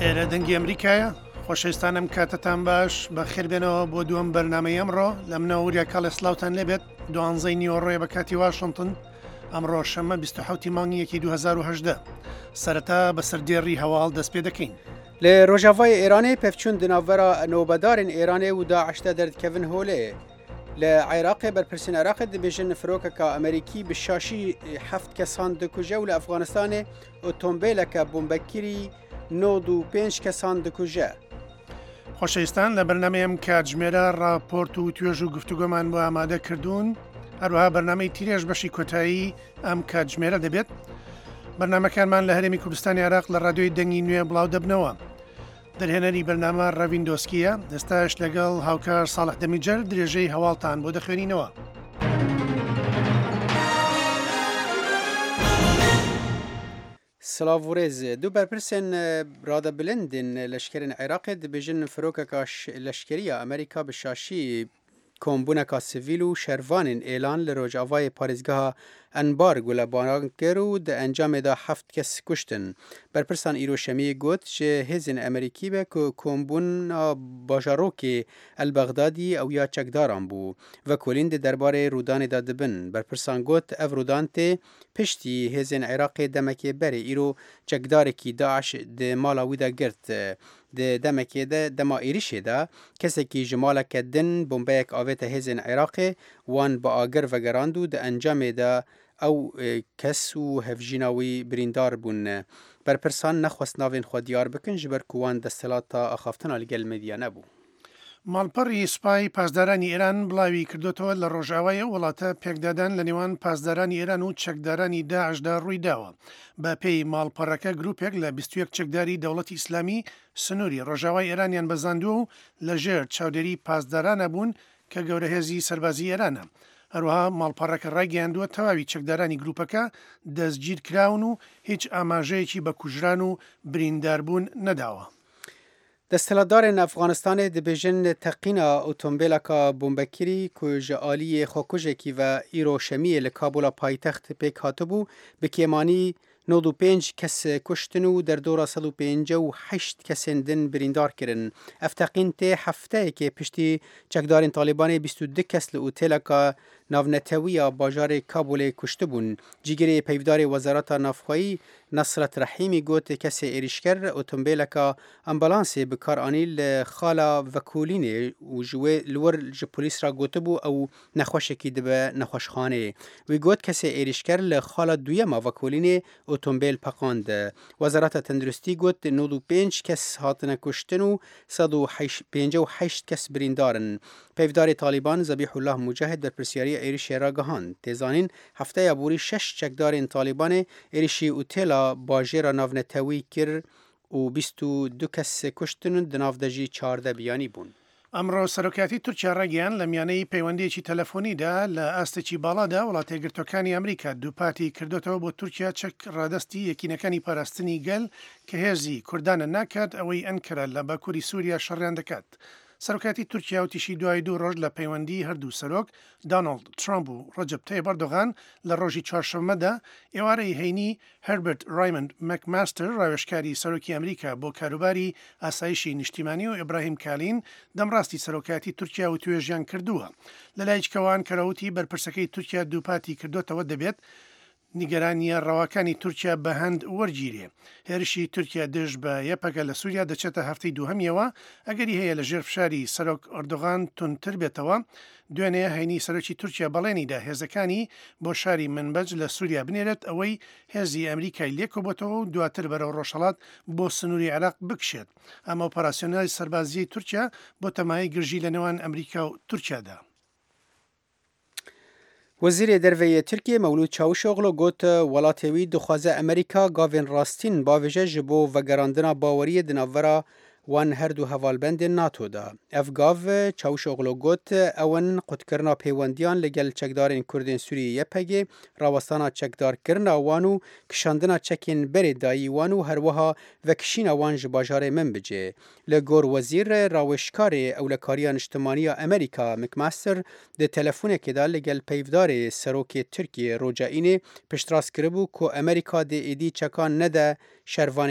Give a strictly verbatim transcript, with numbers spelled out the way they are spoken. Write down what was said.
ئێرە دەنگی ئەمریکایە. خۆشەویستان ئەم کاتەتان باش، بەخێربێنەوە بۆ دووەم بەرنامەی ئەمڕۆ. لە منەوە وریا کاڵێ سڵاوتان لێبێت. دوانزەی نیوەڕۆیە بە کاتی واشنتن. ئەمڕۆ شەممە بیست و حەوت ی مانگی یەکی دوو هەزار و هەژدە. سەرەتا بەسەر دێڕی هەواڵ دەست پێ دەکەین. لە ڕۆژاڤای ئێرانێ پێڤچوون د ناڤبەرا نۆبەدارێن ئێرانێ و داعش دە دەردکەڤن هۆلێ. لە عێراقێ بەرپرسێن عێراقێ دبێژن فرۆکەکا ئەمریکی بە شاشی حەفت کەسان دکوژە و لە ئەفغانستانێ ئۆتۆمبیلەکە بۆمبەکری نۆد و پێنج کەسان دکوژە. خۆشەویستان لە بەرنامەی ئەم کاتژمێرە راپۆرت و توێژ و گفتوگۆمان بۆ ئامادە کردوون. هەروەها بەرنامەی تیرێژ بەشی کۆتایی ئەم کاتژمێرە دەبێت. بەرنامەکانمان لە هەرێمی کوردستانی عێراق لە رادیۆی دەنگی نوێ بڵاو دەبنەوە. دەرهێنەری بەرنامە ڕەوین دۆسکیە. ئێستاش لەگەڵ هاوکار ساڵح دەمیجەر درێژەی هەواڵتان بۆ دەخوێنینەوە. سلااو ڕێز دوو بەرپرسێن رادە بلندن لەشکرێن عێراقێ دبێژن فرۆکەکە لەشکریە ئەمریکا بە شاشی کۆمبوونەکە سڤیل و شەرڤانên ئێلان لە ڕۆژاڤای پارێزگەها ئەنبار گولەباران کرد و دە ئەنجامێدا حەفت کەس کوشتن. بەرپرسان ئیرۆ شەمیە گوت ji hêzên Amerîkî be ku kombûna bajarokê El-Bexdadî ew ya çekdaran bû. Vekolîn di derbarê rûdanê de dibin. Berpirsan got ev rûdan tê piştî hêzên Iraqê demekê berê îro çekdarekî Daeş di mala wî de girt. Di demekê de dema êrişê de kesekî ji maleke din bombeyek avête hêzên Iraqê wan bi agir vegerand û di encamê de ew kes û hevjîna wî birîndar bûn. Berpirsan nexwest navên xwe diyar bikin ji ber ku wan desthilata axaftina li gel medya nebû. ماڵپەڕی سوپای پاسدارانی ئێران بڵاوی کردوتەوە لە ڕۆژاوای ئەو وڵاتە پێکدادان لە نێوان پاسدارانی ئێران و چەکدارانی داعشدا ڕوویداوە. بە پێی ماڵپەڕەکە گروپێک لە بیست و یەک چەکداری دەوڵەتی ئیسلامی سنووری ڕۆژاوای ئێرانیان بەزاندووە و لەژێر چاودێری پاسدارانە بوون کە گەورەهێزی سەربازی ئێرانە. هەروەها ماڵپەڕەکە ڕایگەیاندووە تەواوی چەکدارانی گروپەکە دەستگیر کراون و هیچ ئاماژەیەکی بە کوژران و برینداربوون نەداوە. دەستهەڵاتدارên Efxanistanê dibêjin teqîna otomobîleka bombekirî ku ji aliyê xwekujekî ve îro şemiyê li Kabula paytext pêk hatibû bi kêmanî nod û pênc kes kuştin û derdora sed û pêncî û heşt kesên din birîndar kirin. Ev teqîn tê hefteyekê piştî çekdarên Talîbanê bîst û du kes li oteleka navnetewiya bajarê Kabulê kuştibûn. Cîgirê peyvdarê Wezareta Navxweyî Nesret Rehîmî got kesê êrişker otomobîleka ambulansê bi kar anî li xala vekolînê û ji wê li wir ji polîs re gotibû ew nexweşekî dibe nexweşxaneyê. Wî got kesê êrişker li xala duyema vekolînê otomobîl peqand. Wezareta Tenduristî got nod û pênc kes hatine kuştin û sed û pêncî û heşt kes birîndar in. Peyvdarê Talîban Zebîhullah Mucahid berpirsyariya êrişê ragihand. Tê zanîn hefteya borî şeş çekdarên Talîbanê êrişî otela bajêra navnetewî kir û bîst û du kes kuştin û di nav de jî çardeh biyanî bûn. ئەمڕۆ سەرۆکایەتی تورکیا ڕایگەیاند لە میانەی پەیوەندیەکی تەلەفۆنیدا لە ئاستێکی باڵادا وڵاتەیەکگرتووەکانی ئەمریکا دووپاتی کردوتەوە بۆ تورکیا چەک ڕادەستی یەکینەکانی پاراستنی گەل کە هێزی کوردانە ناکات ئەوەی ئەنکەرە لە باکووری سووریا شەڕیان دەکات. سەرۆکایەتی تورکیا وتیشی دوای دوو ڕۆژ لە پەیوەندی هەردوو سەرۆک دانۆڵد ترامپ و ڕەجەب تەیب ئەردۆغان لە ڕۆژی چوارشەممەدا ئێوارەی هەینی هەربەرت ڕایمەند مەکماستەر ڕاوێژکاری سەرۆکی ئەمریکا بۆ کاروباری ئاسایشی نیشتیمانی و ئیبراهیم کالین دەمڕاستی سەرۆکایەتی تورکیا و توێژیان کردووە. لەلای کەوان کەرەوتی بەرپرسەکەی تورکیا دووپاتی کردوتەوە دەبێت نیگەرانیە ڕەواکانی تورکیا بە هەند وەرگیرێ. هێرشی تورکیا دژ بە یەپەگە لە سووریا دەچێتە هەفتەی دووهەمیەوە، ئەگەری هەیە لە ژێر فشاری سەرۆک ئەردۆغان توندتر بێتەوە. دوێنێ هەینی سەرۆکی تورکیا بەڵێنیدا هێزەکانی بۆ شاری منبەج لە سووریا بنێرێت ئەوەی هێزی ئەمریکای لێکۆبێتەوە و دواتر بەرەو ڕۆژهەڵات بۆ سنووری عێراق بکشێت. ئەمە ئۆپەراسیۆنای سەربازیی تورکیا بۆ تەمای گرژی لە نێوان ئەمریکا و تورکیادا. وەزیرê Derve yê Tirkiyê Mewlûd Çavuşoglu got welatê wî dixwaze Amerîka gavên rastîn bavêje ji bo vegerandina baweriyê di navbera wan her du hevalbendên NATO de. Ev gav Çavuşoglu got ew in qutkirina pêwendiyan li gel çekdarên Kurdên Sûriyê Y P G, rawestana çekdarkirina wan û kişandina çekên berê dayî wan û herwiha vekişîna wan ji bajarê Minbicê. Li gor wezîr rawêjkarê Ewlekariya Niştimaniya Amerîka McMaster di telefonekê de li gel peyvdarê serokê Tirkiyê roja Înê piştrast kiribû ku Amerîka dê êdî çekan nede şervanên